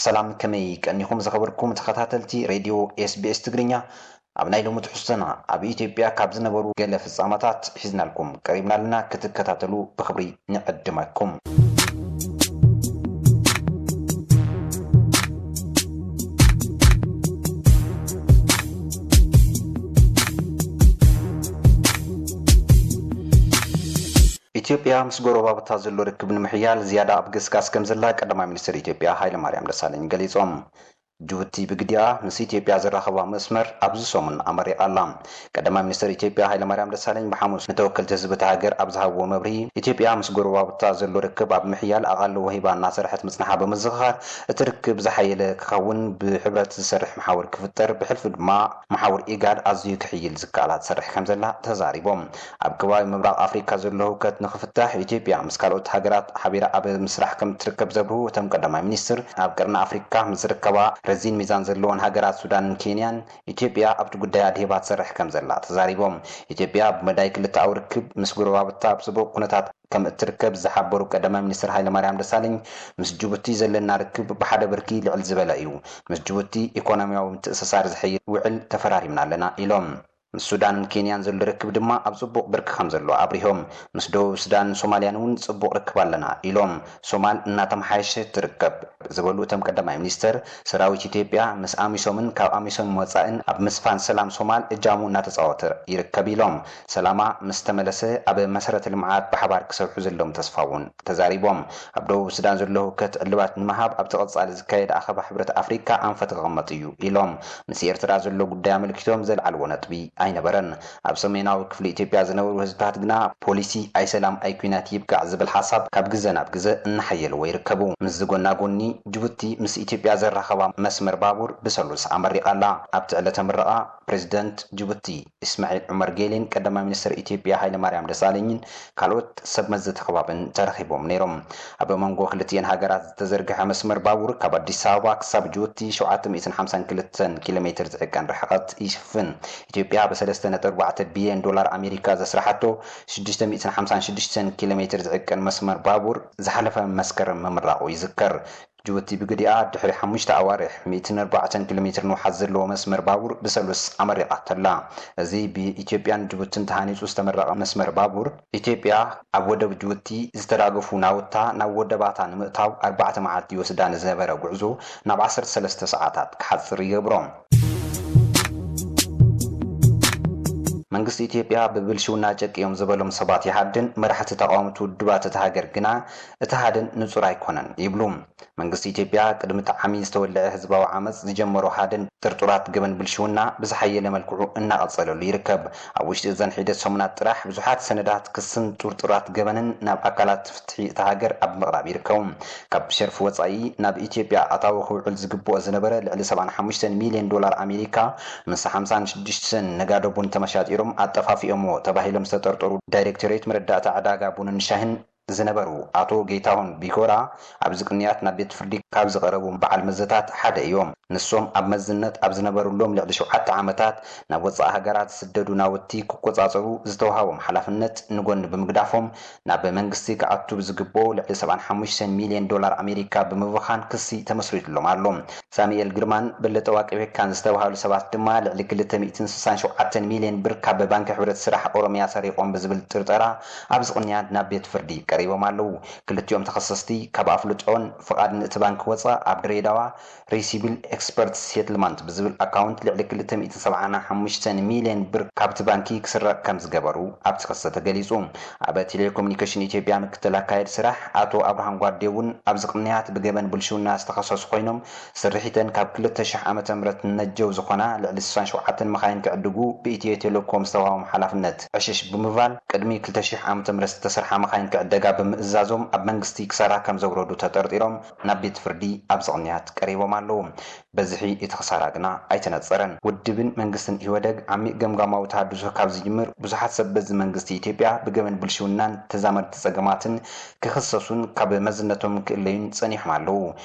ሰላም፣ ከመይ ቀኒኹም ዝኸበርኩም ተኸታተልቲ ሬድዮ ኤስቢኤስ ትግርኛ? ኣብ ናይ ሎሚ ትሕዝቶና፣ ኣብ ኢትዮጵያ ካብ ዝነበሩ ገለ ፍጻመታት ሒዝናልኩም ቀሪብና ኣለና፣ ክትከታተሉ ብኽብሪ ንዕድመኩም። ኢትዮጵያ ምስ ጎረባብታ ዘሎ ርክብ ንምሕያል ዝያዳ ኣብ ገስጋስ ከም ዘላ ቀዳማይ ሚኒስትር ኢትዮጵያ ሃይለማርያም ደሳለኝ ገሊጾም። ጅቡቲ ብግዲኣ ምስ ኢትዮጵያ ዘራኸባ መስመር ኣብዚ ሰሙን ኣመሪቓ ኣላ። ቀዳማይ ሚኒስትር ኢትዮጵያ ሃይለማርያም ደሳለኝ ብሓሙስ ንተወከልቲ ህዝቢ እታ ሃገር ኣብ ዝሃብዎ መብርሂ፣ ኢትዮጵያ ምስ ጎረባብታ ዘሎ ርክብ ኣብ ምሕያል ኣቓልቦ ሂባ እናሰርሐት ምጽንሓ ብምዝኽኻር፣ እቲ ርክብ ዝሓየለ ክኸውን ብሕብረት ዝሰርሕ መሓውር ክፍጠር፣ ብሕልፊ ድማ መሓውር ኢጋድ ኣዝዩ ክሕይል ዝከኣላ ትሰርሕ ከም ዘላ ተዛሪቦም። ኣብ ከባቢ ምብራቕ ኣፍሪካ ዘሎ ህውከት ንኽፍታሕ ኢትዮጵያ ምስ ካልኦት ሃገራት ሓቢራ ኣብ ምስራሕ ከም እትርከብ ዘብርሁ እቶም ቀዳማይ ሚኒስትር፣ ኣብ ቀርኒ ኣፍሪካ ምስ ዝርከባ ረዚን ሚዛን ዘለወን ሃገራት ሱዳንን ኬንያን ኢትዮጵያ ኣብቲ ጉዳይ ኣድሂባ ትሰርሕ ከም ዘላ ተዛሪቦም። ኢትዮጵያ ብመዳይ ክልተኣዊ ርክብ ምስ ጎረባብታ ኣብ ጽቡቕ ኩነታት ከም እትርከብ ዝሓበሩ ቀዳማይ ሚኒስትር ሃይለማርያም ደሳለኝ፣ ምስ ጅቡቲ ዘለና ርክብ ብሓደ ብርኪ ልዕል ዝበለ እዩ። ምስ ጅቡቲ ኢኮኖሚያዊ ምትእስሳር ዝሕይል ውዕል ተፈራሪምና ኣለና ኢሎም። ምስ ሱዳንን ኬንያን ዘሎ ርክብ ድማ ኣብ ጽቡቕ ብርኪ ከም ዘሎ ኣብሪሆም። ምስ ደቡብ ሱዳንን ሶማልያን እውን ጽቡቕ ርክብ ኣለና ኢሎም። ሶማል እናተመሓየሸት ትርከብ ዝበሉ እቶም ቀዳማይ ሚኒስትር፣ ሰራዊት ኢትዮጵያ ምስ ኣሚሶምን ካብ ኣሚሶም ወጻእን ኣብ ምስፋን ሰላም ሶማል እጃሙ እናተጻወተ ይርከብ ኢሎም። ሰላማ ምስ ተመለሰ ኣብ መሰረተ ልምዓት ብሓባር ክሰርሑ ዘለዎም ተስፋ እውን ተዛሪቦም። ኣብ ደቡብ ሱዳን ዘሎ ህውከት ዕልባት ንምሃብ ኣብቲ ቀጻሊ ዝካየድ ኣኸባ ሕብረት ኣፍሪካ ኣንፈት ክቕመጥ እዩ ኢሎም። ምስ ኤርትራ ዘሎ ጉዳይ ኣመልኪቶም ዘልዓልዎ ነጥቢ ኣይነበረን። ኣብ ሰሜናዊ ክፍሊ ኢትዮጵያ ዝነበሩ ህዝብታት ግና ፖሊሲ ኣይ ሰላም ኣይ ኲናት ይብቃዕ ዝብል ሓሳብ ካብ ግዘ ናብ ግዘ እናሓየልዎ ይርከቡ። ምስዚ ጎና ጎኒ ጅቡቲ ምስ ኢትዮጵያ ዘራኸባ መስመር ባቡር ብሰሉስ ኣመሪቓ ኣላ። ኣብቲ ዕለተ ምረቓ ፕሬዚደንት ጅቡቲ እስማዒል ዑመር ጌሌን ቀዳማይ ሚኒስትር ኢትዮጵያ ሃይለማርያም ደሳለኝን ካልኦት ሰብ መዚ እቲ ከባብን ተረኺቦም ነይሮም። ኣብ መንጎ ክልቲኤን ሃገራት ዝተዘርግሐ መስመር ባቡር ካብ ኣዲስ ኣበባ ክሳብ ጅቡቲ ሸውዓተ ሚእትን ሓምሳን ክልተን ኪሎ ሜትር ዝዕቀን ርሕቐት ይሽፍን። ኢትዮጵያ ብሰለስተ ነጥቢ ኣርባዕተ ቢልዮን ዶላር ኣሜሪካ ዘስራሓቶ ሽዱሽተ ሚእትን ሓምሳን ሽዱሽተን ኪሎ ሜትር ዝዕቀን መስመር ባቡር ዝሓለፈ መስከረም ምምራቑ ይዝከር። ጅቡቲ ብግዲኣ ድሕሪ ሓሙሽተ ኣዋርሕ ሚእትን ኣርባዕተን ኪሎ ሜትር ንውሓት ዘለዎ መስመር ባቡር ብሰሉስ ኣመሪቓቶ'ላ። እዚ ብኢትዮጵያን ጅቡትን ተሃኒጹ ዝተመረቐ መስመር ባቡር፣ ኢትዮጵያ ኣብ ወደብ ጅቡቲ ዝተራገፉ ናውታ ናብ ወደባታ ንምእታው ኣርባዕተ መዓልቲ ይወስዳ ንዝነበረ ጉዕዞ ናብ ዓሰርተ ሰለስተ ሰዓታት ክሓጽር ይገብሮ። መንግስቲ ኢትዮጵያ ብብልሽውና ጨቂዮም ዝበሎም ሰባት ይሃድን፣ መራሕቲ ተቓወምቲ ውድባት እታ ሃገር ግና እቲ ሃደን ንጹር ኣይኮነን ይብሉ። መንግስቲ ኢትዮጵያ ቅድሚ እቲ ዓሚ ዝተወልዐ ህዝባዊ ዓመጽ ዝጀመሮ ሃደን ጥርጡራት ገበን ብልሽውና ብዝሓየለ መልክዑ እናቐጸለሉ ይርከብ። ኣብ ውሽጢ እዘን ሒደት ሰሙናት ጥራሕ ብዙሓት ሰነዳት ክስን ጥርጡራት ገበንን ናብ ኣካላት ፍትሒ እታ ሃገር ኣብ ምቕራብ ይርከቡ። ካብ ሸርፊ ወጻኢ ናብ ኢትዮጵያ ኣታዊ ክውዕል ዝግብኦ ዝነበረ ልዕሊ ሰብዓን ሓሙሽተን ሚልዮን ዶላር ኣሜሪካ ምስ ሓምሳን ሽዱሽተን ነጋዶ ቡን ተመሻጢሮም ኣጠፋፊኦምዎ ተባሂሎም ዝተጠርጠሩ ዳይሬክቶሬት መረዳእታ ዕዳጋ ቡንን ሻሂን ዝነበሩ ኣቶ ጌታሁን ቢጎራ ኣብዚ ቅንያት ናብ ቤት ፍርዲ ካብ ዝቐረቡ በዓል መዘታት ሓደ እዮም። ንሶም ኣብ መዝነት ኣብ ዝነበሩሎም ልዕሊ ሸውዓተ ዓመታት ናብ ወጻኢ ሃገራት ዝስደዱ ናውቲ ክቆጻጸሩ ዝተዋሃቦም ሓላፍነት ንጎኒ ብምግዳፎም ናብ መንግስቲ ክኣቱ ብዝግብኦ ልዕሊ ሰብዓን ሓሙሽተን ሚልዮን ዶላር ኣሜሪካ ብምብኻን ክሲ ተመስሪቱሎም ኣሎ። ሳሙኤል ግርማን በለጠ ዋቅቤካን ዝተባሃሉ ሰባት ድማ ልዕሊ ክልተ ሚእትን ስሳን ሸውዓተን ሚልዮን ብር ካብ ባንኪ ሕብረት ስራሕ ኦሮሚያ ሰሪቖም ብዝብል ጥርጠራ ኣብዚ ቅንያት ናብ ቤት ፍርዲ ቀሪቦም ኣለዉ። ክልቲኦም ተኸሰስቲ ካብ ኣፍልጦን ፍቓድን እቲ ባንኪ ወጻ ኣብ ድሬዳዋ ሪሲብል ኤክስፐርት ሴትልማንት ብዝብል ኣካውንት ልዕሊ ክልተ ሚእትን ሰብዓን ሓሙሽተን ሚልዮን ብር ካብቲ ባንኪ ክስረቕ ከም ዝገበሩ ኣብቲ ክሲ ተገሊጹ። ኣብ ቴሌኮሙኒኬሽን ኢትዮጵያ ምክትል ኣካየዲ ስራሕ ኣቶ ኣብርሃም ጓዴ እውን ኣብዚ ቅንያት ብገበን ብልሽውና ዝተኸሰሱ ኮይኖም፣ ስርሒተን ካብ ክልተ ሽሕ ዓመተ ምህረት ንነጀው ዝኾና ልዕሊ ስሳን ሸውዓተን መኻይን ክዕድጉ ብኢትዮ ቴሌኮም ዝተዋህቦም ሓላፍነት ዕሽሽ ብምባል፣ ቅድሚ ክልተ ሽሕ ዓመተ ምህረት ዝተሰርሓ መኻይን ክዕደጋ ብምእዛዞም ኣብ መንግስቲ ክሳራ ከም ዘውረዱ ተጠርጢሮም ናብ ቤት ፍርዲ ኣብዚ ቅንያት ቀሪቦም ኣለዉ። በዝሒ እቲ ክሳራ ግና ኣይተነጸረን። ውድብን መንግስትን ኢህወደግ ዓሚቕ ገምጋማዊ ተሃድሶ ካብ ዝጅምር ብዙሓት ሰብ በዚ መንግስቲ ኢትዮጵያ ብገበን ብልሽውናን ተዛመድቲ ጸገማትን ክኽሰሱን ካብ መዝነቶም ክእለዩን ጸኒሖም ኣለዉ።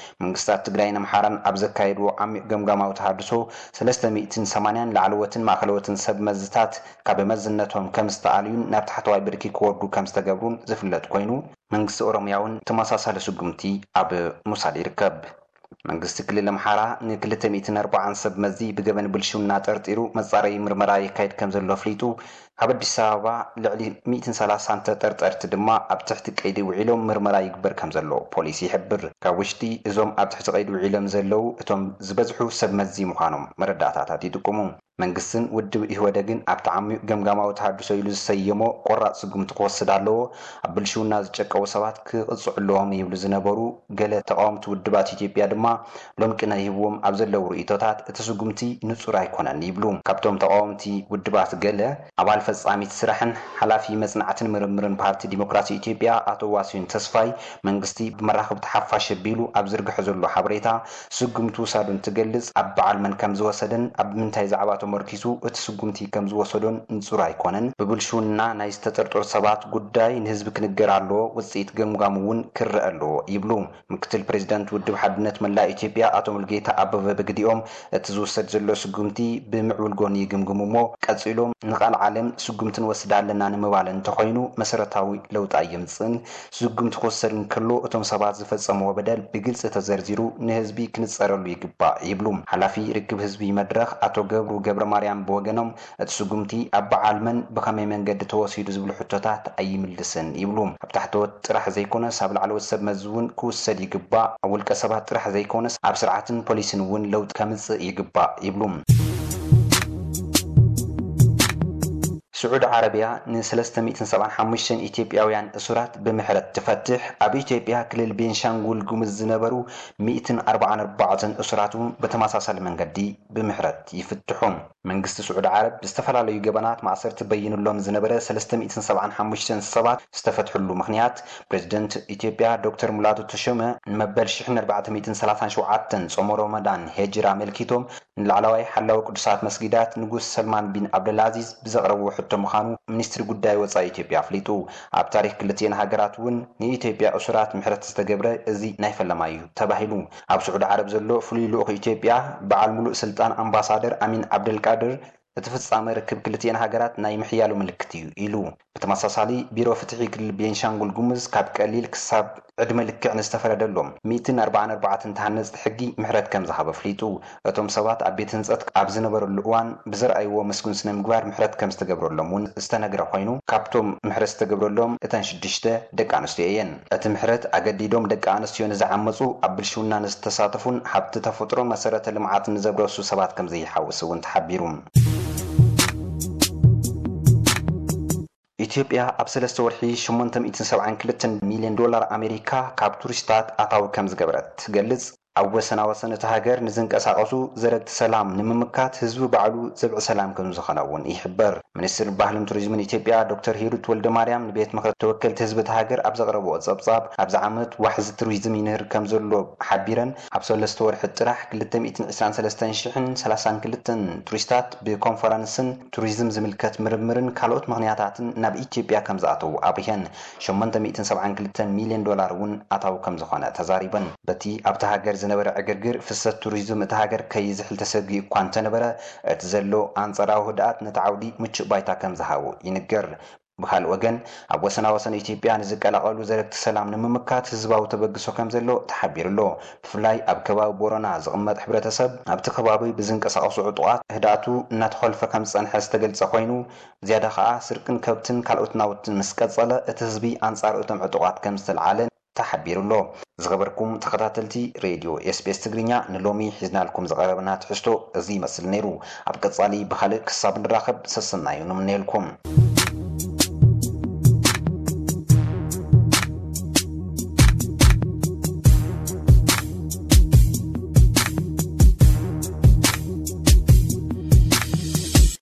መንግስታት ትግራይን ኣምሓራን ኣብ ዘካየድዎ ዓሚቕ ገምጋማዊ ተሃድሶ ሰለስተ ሚእትን ሰማንያን ላዕለዎትን ማእኸለዎትን ሰብ መዝታት ካብ መዝነቶም ከም ዝተኣልዩን ናብ ታሕተዋይ ብርኪ ክወርዱ ከም ዝተገብሩን ዝፍለጥ ኮይኑ፣ መንግስቲ ኦሮምያ እውን ተመሳሳሊ ስጉምቲ ኣብ ምውሳድ ይርከብ። መንግስቲ ክልል ኣምሓራ ን240 ሰብ መዚ ብገበን ብልሽውና ጠርጢሩ መጻረዪ ምርመራ የካይድ ከም ዘሎ ኣፍሊጡ። ካብ ኣዲስ ኣበባ ልዕሊ 130 ተጠርጠርቲ ድማ ኣብ ትሕቲ ቀይዲ ውዒሎም ምርመራ ይግበር ከም ዘሎ ፖሊስ ይሕብር። ካብ ውሽጢ እዞም ኣብ ትሕቲ ቀይዲ ውዒሎም ዘለዉ እቶም ዝበዝሑ ሰብ መዚ ምዃኖም መረዳእታታት ይጥቁሙ። መንግስትን ውድብ ኢህወደግን ኣብቲ ዓሚቕ ገምጋማዊ ተሃድሶ ኢሉ ዝሰየሞ ቆራጽ ስጉምቲ ክወስድ ኣለዎ። ኣብ ብልሽውና ዝጨቀዉ ሰባት ክቕጽዑ ኣለዎም ይብሉ ዝነበሩ ገለ ተቓወምቲ ውድባት ኢትዮጵያ ድማ ሎም ቅነ ሂብዎም ኣብ ዘለዉ ርእይቶታት እቲ ስጉምቲ ንጹር ኣይኮነን ይብሉ። ካብቶም ተቓወምቲ ውድባት ገለ ኣባል ፈጻሚት ስራሕን ሓላፊ መጽናዕትን ምርምርን ፓርቲ ዲሞክራሲ ኢትዮጵያ ኣቶ ዋሲሁን ተስፋይ መንግስቲ ብመራኽብቲ ሓፋሽ ኣቢሉ ኣብ ዝርግሐ ዘሎ ሓበሬታ ስጉምቲ ውሳዱ እንትገልጽ ኣብ በዓል መን ከም ዝወሰደን ኣብ ምንታይ ዛዕባ ተመርኪሱ እቲ ስጉምቲ ከም ዝወሰዶን ንጹር ኣይኮነን። ብብልሽውና ናይ ዝተጠርጠሩ ሰባት ጉዳይ ንህዝቢ ክንገር ኣለዎ፣ ውጽኢት ገምጋም እውን ክረአ ኣለዎ ይብሉ። ምክትል ፕሬዚደንት ውድብ ሓድነት መላእ ኢትዮጵያ ኣቶ ሙሉጌታ ኣበበ ብግዲኦም እቲ ዝውሰድ ዘሎ ስጉምቲ ብምዕቡል ጎኒ ይግምግሙ እሞ ቀጺሎም ንቃል ዓለም ስጉምቲ ንወስድ ኣለና ንምባል እንተኾይኑ መሰረታዊ ለውጢ ኣየምጽእን። ስጉምቲ ክወሰድ እንከሎ እቶም ሰባት ዝፈጸምዎ በደል ብግልጺ ተዘርዚሩ ንህዝቢ ክንጸረሉ ይግባእ ይብሉ። ሓላፊ ርክብ ህዝቢ መድረኽ ኣቶ ገብሩ ገብረ ማርያም ብወገኖም እቲ ስጉምቲ ኣብ በዓል መን ብኸመይ መንገዲ ተወሲዱ ዝብሉ ሕቶታት ኣይምልስን ይብሉ። ኣብ ታሕተዎት ጥራሕ ዘይኮነስ ኣብ ላዕለዎት ሰብ መዚ እውን ክውሰድ ይግባእ። ኣብ ውልቀ ሰባት ጥራሕ ዘይኮነስ ኣብ ስርዓትን ፖሊስን እውን ለውጢ ከምጽእ ይግባእ ይብሉ። ስዑዲ ዓረብያ ን375 ኢትዮጵያውያን እሱራት ብምሕረት ትፈትሕ። ኣብ ኢትዮጵያ ክልል ቤንሻንጉል ጉሙዝ ዝነበሩ 144 እሱራት እውን ብተመሳሳሊ መንገዲ ብምሕረት ይፍትሑ። መንግስቲ ስዑዲ ዓረብ ብዝተፈላለዩ ገበናት ማእሰርቲ በይኑሎም ዝነበረ 375 ሰባት ዝተፈትሕሉ ምኽንያት ፕሬዚደንት ኢትዮጵያ ዶክተር ሙላቱ ተሾመ ንመበል 1437 ጾመ ሮመዳን ሄጅራ ኣመልኪቶም ንላዕለዋይ ሓላዊ ቅዱሳት መስጊዳት ንጉስ ሰልማን ቢን ዓብደልኣዚዝ ብዘቕረብዎ ሕቶ ምዃኑ ሚኒስትሪ ጉዳይ ወጻኢ ኢትዮጵያ ኣፍሊጡ። ኣብ ታሪኽ ክልቲኤን ሃገራት እውን ንኢትዮጵያ እሱራት ምሕረት ዝተገብረ እዚ ናይ ፈለማ እዩ ተባሂሉ። ኣብ ስዑዲ ዓረብ ዘሎ ፍሉይ ልኡኽ ኢትዮጵያ በዓል ሙሉእ ስልጣን ኣምባሳደር ኣሚን ዓብደልቃድር እቲ ፍጻመ ርክብ ክልቲኤን ሃገራት ናይ ምሕያሉ ምልክት እዩ ኢሉ። ብተመሳሳሊ ቢሮ ፍትሒ ክልል ቤንሻንጉል ጉሙዝ ካብ ቀሊል ክሳብ ዕድመ ልክዕ ንዝተፈረደሎም 144 ተሃነፅቲ ሕጊ ምሕረት ከም ዝሃበ ኣፍሊጡ። እቶም ሰባት ኣብ ቤት ህንፀት ኣብ ዝነበረሉ እዋን ብዘርኣይዎ መስጉን ስነ ምግባር ምሕረት ከም ዝተገብረሎም እውን ዝተነግረ ኮይኑ ካብቶም ምሕረት ዝተገብረሎም እተን ሽዱሽተ ደቂ ኣንስትዮ እየን። እቲ ምሕረት ኣገዲዶም ደቂ ኣንስትዮ ንዝዓመፁ፣ ኣብ ብልሽውና ንዝተሳተፉን ሃብቲ ተፈጥሮ መሰረተ ልምዓት ንዘብረሱ ሰባት ከም ዘይሓውስ እውን ተሓቢሩ። ኢትዮጵያ ኣብ ሰለስተ ወርሒ 872 ሚልዮን ዶላር ኣሜሪካ ካብ ቱሪስታት ኣታዊ ከም ዝገበረት ትገልጽ። ኣብ ወሰና ወሰን እቲ ሃገር ንዝንቀሳቐሱ ዘረግቲ ሰላም ንምምካት ህዝቢ ባዕሉ ዘብዒ ሰላም ከም ዝኾነ እውን ይሕበር። ሚኒስትር ባህልን ቱሪዝምን ኢትዮጵያ ዶክተር ሂሩት ወልደ ማርያም ንቤት ምኽሪ ተወከልቲ ህዝቢ እቲ ሃገር ኣብ ዘቕረብኦ ጸብጻብ ኣብዚ ዓመት ዋሕዚ ቱሪዝም ይንህር ከም ዘሎ ሓቢረን ኣብ ሰለስተ ወርሒ ጥራሕ 223,032 ቱሪስታት ብኮንፈረንስን ቱሪዝም ዝምልከት ምርምርን ካልኦት ምኽንያታትን ናብ ኢትዮጵያ ከም ዝኣተዉ ኣብሪሀን። 872 ሚልዮን ዶላር እውን ኣታዊ ከም ዝኾነ ተዛሪበን። በቲ ኣብቲ ሃገር ዝነበረ ዕግርግር ፍሰት ቱሪዝም እቲ ሃገር ከይዝሕል ተሰጊኡ እኳ እንተነበረ እቲ ዘሎ ኣንጻራዊ ህድኣት ነቲ ዓውዲ ምቹእ ባይታ ከም ዝሃቦ ይንገር። ብካልእ ወገን ኣብ ወሰና ወሰን ኢትዮጵያ ንዝቀላቐሉ ዘረግቲ ሰላም ንምምካት ህዝባዊ ተበግሶ ከም ዘሎ ተሓቢሩ ኣሎ። ብፍላይ ኣብ ከባቢ ቦረና ዝቕመጥ ሕብረተሰብ ኣብቲ ከባቢ ብዝንቀሳቐሱ ዕጡቓት ህድኣቱ እናተኾልፈ ከም ዝጸንሐ ዝተገልጸ ኮይኑ ዝያዳ ከኣ ስርቅን ከብትን ካልኦት ናውትን ምስ ቀጸለ እቲ ህዝቢ ኣንጻር እቶም ዕጡቓት ከም ዝተልዓለ ተሓቢሩ ኣሎ። ዝኸበርኩም ተኸታተልቲ ሬድዮ ኤስቢኤስ ትግርኛ ንሎሚ ሒዝናልኩም ዝቐረብና ትሕዝቶ እዚ ይመስል ነይሩ። ኣብ ቀጻሊ ብኻልእ ክሳብ ንራኸብ ሰሰናዩ ንምነየልኩም።